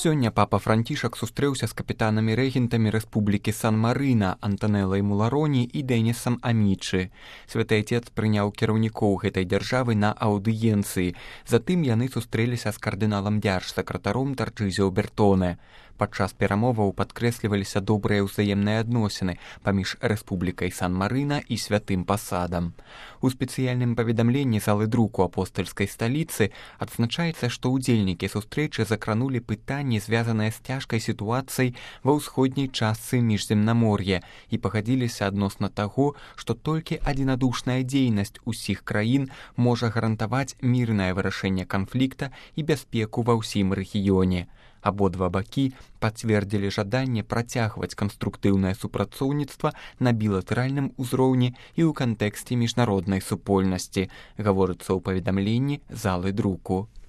Сёння папа Францішак сустрэўся з капітанамі-рэгентамі Рэспублікі Сан-Марына Антанелай Мулароні і Дэнісам Амічы. Святы Отец прыняў кіраўнікоў гэтай дзяржавы на аўдыенцыі. Затым яны сустрэліся з кардыналам дзяржсакратаром Тарчызіо Бертоне. Падчас перамоваў падкрэсліваліся добрыя ўзаемныя адносіны паміж Рэспублікай Сан-Марына і святым пасадам. У спецыяльным паведамленні залы друку апостальскай сталіцы адзначаецца, што ўдзельнікі сустрэчы закранулі пытанні, звязаныя з цяжкай сітуацыяй ва ўсходняй частцы міжземнамор'я і пагадзіліся адносна таго, што толькі адзінадушная дзейнасць усіх краін можа гарантаваць мірнае вырашэнне канфлікта і бяспеку ва ўсім рэгіёне. Абодва бакі пацвердзілі жаданне працягваць канструктыўнае супрацоўніцтва на білатэральным узроўні і ў кантэксце міжнароднай супольнасці, гаворыцца ў паведамленні залы друку.